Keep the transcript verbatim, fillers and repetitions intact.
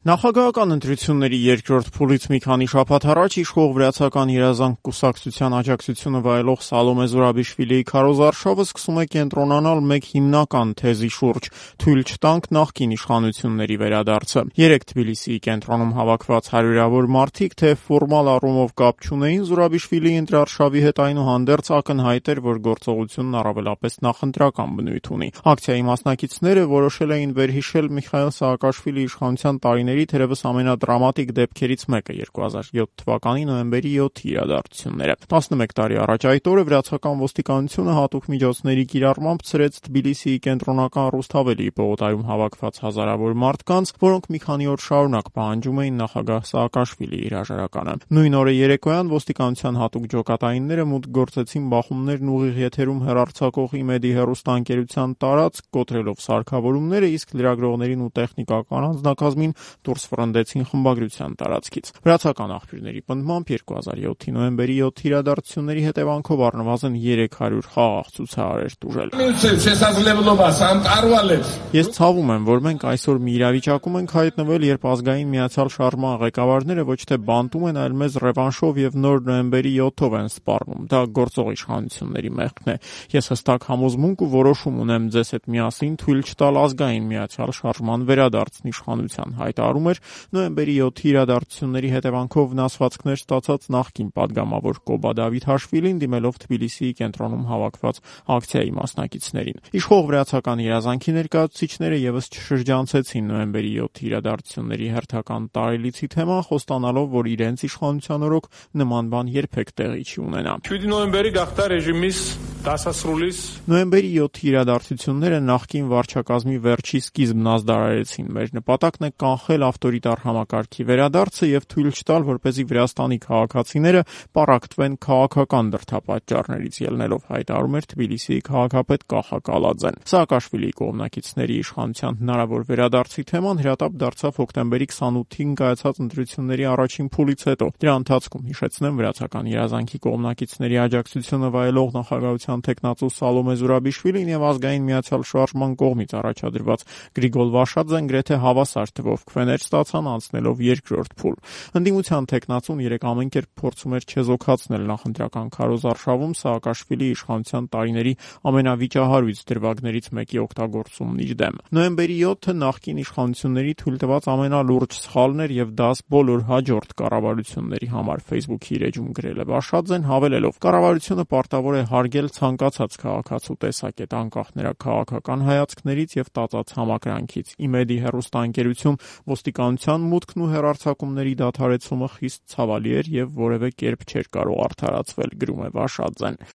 Նախագահական ընտրությունների երկրորդ փուլից մի քանի շաբաթ առաջ իշխող Վրացական երազանք կուսակցության աջակցությունը վայելող Սալոմե Զուրաբիշվիլիի քարոզարշավը սկսում է կենտրոնանալ մեկ հիմնական թեզի շուրջ՝ թույլ չտանք նախկին իշխանությունների վերադարձը։ Երեկ Թբիլիսիի կենտրոնում հավաքված հարյուրավոր մարդիկ թե ֆորմալ առումով կապ չունեին Զուրաբիշվիլիի ընտրարշավի հետ, այնուհանդերձ ակնհայտ էր, որ գործողությունն առավելապես նախընտրական բնույթ ունի։ Ակցիայի մասնակիցները որոշել էին վերհիշել Միխայիլ Սաակաշվիլիի իշխանության տարիների թերևս ամենադրամատիկ դեպքերից մեկը՝ երկու հազար յոթ թվականի նոյեմբերի յոթի իրադարձությունները։ տասնմեկ տարի առաջ այդ օրը վրացական ոստիկանությունը հատուկ միջոցների կիրառմամբ ցրեց Թբիլիսիի կենտրոնական Ռուսթավելի պողոտայում հավաքված հազարավոր մարդկանց, որոնք մի քանի օր շարունակ պահանջում էին նախագահ Սաակաշվիլիի հրաժարականը։ Նույն օրը երեկոյան ոստիկանության հատուկ ջոկատայինները մուտք գործեցին բախումներն ուղիղ եթերում հեռարձակող ԻՄԵԴ-ի հեռուստաընկերության տարածք, կոտրելով սարքավորումները, իսկ լրագրողներին ու տեխնիկական անձնակազմին դուրս ֆռնդեցին խմբագրության տարածքից։ Վրացական աղբյուրների պնդմամբ երկու հազար յոթի նոյեմբերի յոթի իրադարձությունների հետևանքով առնվազն երեք հարյուր խաղաղ ցուցահար էր տուժել։ Ես ցավում եմ, որ մենք այսօր մի իրավիճակում ենք հայտնվել, երբ ազգային միացյալ շարժման ղեկավարները ոչ թե բանտում են, այլ մեզ ռևանշով եւ նոր նոյեմբերի յոթով են սպառնում։ Դա գործող իշխանությունների մեղքն է։ Ես հստակ համոզմունք ու որոշում ունեմ ձեզ հետ միասին թույլ չտալ ազգային միացյալ շարժման վերադարձն իշխանության, հայտարարում էր նոյեմբերի յոթի իրադարձությունների հետևանքով վնասվածքներ ստացած նախկին падգամավոր Կոբա Դավիթաշվիլին, դիմելով Թբիլիսիի կենտրոնում հավաքված ակցիայի մասնակիցներին։ Իշխող Վրացական երազանքի ներկայացուցիչները եւս չշրջանցեցին նոյեմբերի յոթի իրադարձությունների հերթական տարելիցի թեման, խոստանալով, որ իրենց իշխանության օրոք նման բան երբեք տեղի չի ունենա։ Նոյեմբերի յոթի իրադարձությունները նախկին վարչակազմի վերջի սկիզբն ազդարարեցին։ Մեր նպատակն է կանխել ավտորիտար համակարգի վերադարձը եւ թույլ չտալ, որպեսզի Վրաստանի քաղաքացիները պառակտվեն քաղաքական դրդապատճառներից, ելնելով, հայտարարում էր Թբիլիսիի քաղաքապետ Կախա Կալաձեն։ Սաակաշվիլիի կողմնակիցների իշխանության հնարավոր վերադարձի թեման հրատապ դարձավ հոկտեմբերի քսանութին կայացած ընտրությունների առաջին փուլից հետո։ Դրա ընթացքում, հիշեցնեմ, Վրացական երազանքի կողմնակիցների աջակցությունը վայելող նախագահության թեկնածու Սալոմե Զուրաբիշվիլին եւ ազգային միացյալ շարժման կողմից առաջադրված Գրիգոլ Վաշաձեն գրեթե հավասար թվով քվեներ ստացան, անցնելով երկրորդ փուլ։ Ընդդիմության թեկնածուն երեք ամեն կերպ փորձում էր չեզոքացնել նախընտրական քարոզարշավում Սաակաշվիլիի իշխանության տարիների ամենավիճահարույց դրվագներից մեկի օգտագործումն իր դեմ։ Նոյեմբերի յոթը նախկին իշխանությունների թույլ տված ամենալուրջ սխալն էր եւ դա բոլոր հաջորդ կառավարությունների համար, Facebook-ի իր էջում գրել է Վաշաձեն, հավելելով. «Կառավարությունը պարտավոր է հարգել ցանկացած քաղաքացու տեսակետ, անկախ նրա քաղաքական հայացքներից եւ տածած համակրանքից։ ԻՄԵԴ-ի հեռուստաընկերություն ոստիկանության մուտքն ու հեռարձակումների դադարեցումը խիստ ցավալի էր եւ որևէ կերպ չէր կարող արդարացվել», գրում է Վաշաձեն։